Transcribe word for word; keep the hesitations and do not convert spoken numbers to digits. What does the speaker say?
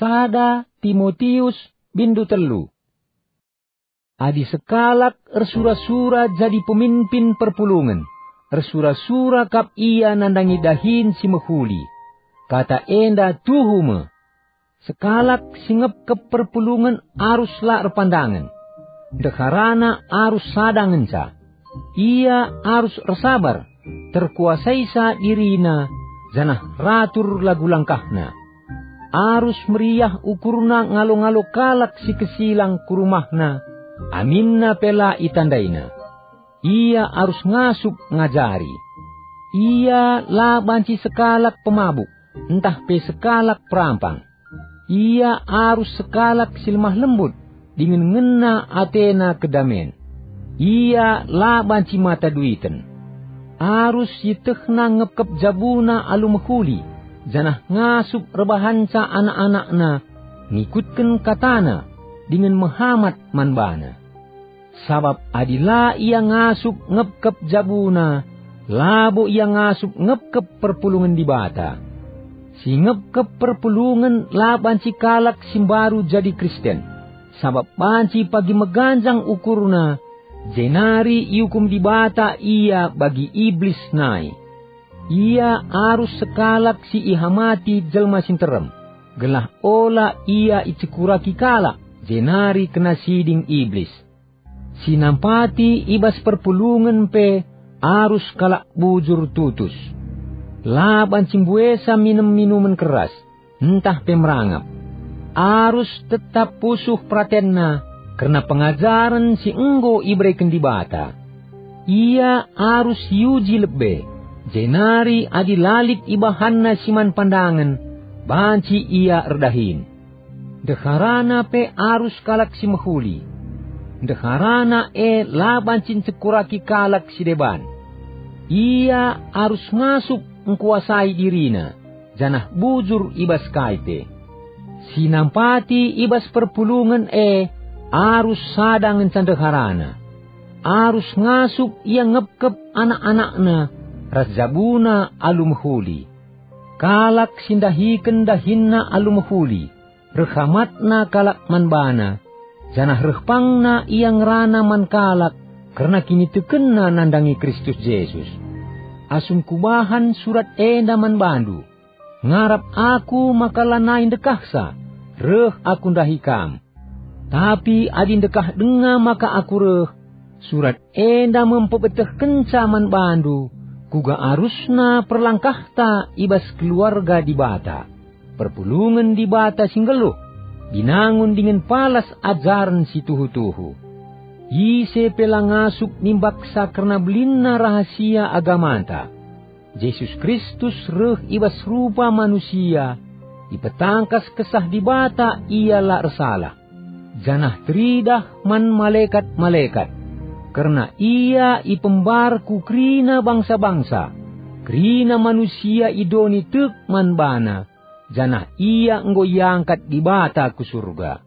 Sada Timotius, bindu telu. Adi sekalak ersura-sura jadi pemimpin perpulungen, ersura-sura kap ia nandangi dahin si mehuli. Kata enda tuhu me. Sekalak si ngepkep perpulungen arus la erpandangen. Ndeharana arus sada ngenca. Ia arus ersabar, terkuasaisa dirina, janah ratur lagu langkahna. Arus meriah ukurna ngalo-ngalo kalak si kesilang ku rumahna, aminna pe la itandaina. Ia arus ngasup ngajari. Ia la banci sekalak pemabuk, ntah pe sekalak perampang. Ia arus sekalak si lemah lembut, dingen ngena atena kedamen. Ia la banci mata duiten. Arus ietehna ngepkep jabuna alu mehuli, janah ngasup erbahanca anak-anakna ngikutken katana, dingen mehamat man bana. Sabap adi la ia ngasup ngepkep jabuna, labo ia ngasup ngepkep perpulungen Dibata. Si ngepkep perpulungen la banci kalak si mbaru jadi Kristen, sabap banci pagi meganjang ukurna, jenari iukum Dibata ia bagi Iblis nai. Ia arus sekalak si ihamati jelma si nterem, gelah ola ia icekuraki kalak, jenari kena siding Iblis. Si nampati i bas perpulungen pe arus kalak bujur tutus. La banci mbuesa minem minumen keras, ntah pe merangap. Arus tetap pusuh peratenna kerna pengajaren si enggo ibereken Dibata. Ia arus iuji lebe, jenari adi la lit ibahanna si man pandangen, banci ia erdahin. Ndeharana pe arus kalak si mehuli. Ndeharana e la banci ncekuraki kalak si deban. Ia arus ngasup ngkuasai dirina, janah bujur i bas kai pe. Si nampati i bas perpulungen e arus sada ngenca ndeharana. Arus ngasup ia ngepkep anak-anakna ras jabuna alu mehuli. Kalak si ndahiken dahinna alu mehuli, reh hamatna kalak man bana, janah reh pangna ia ngerana man kalak kerna kinitekenna nandangi Kristus Jesus. Asum kubahan surat enda man bandu, ngarap aku maka lanai ndekahsa, reh aku ndahi kam. Tapi adi ndekah denga maka aku reh, surat enda me mpebetehkenca man bandu kuga arusna perlangkahta i bas keluarga Dibata, perpulungen Dibata si nggeluh, binangun dingen palas ajaren si tuhu-tuhu. Ise pe la ngasup nimbaksa kerna belinna rahasia agamanta. Jesus Kristus reh i bas rupa manusia, ipetangkas Kesah Dibata Ia la ersalah, janah teridah man malekat-malekat. Kerna Ia ipembar ku kerina bangsa-bangsa, kerina manusia i doni tek man baNa, janah Ia enggo iangkat Dibata ku Surga.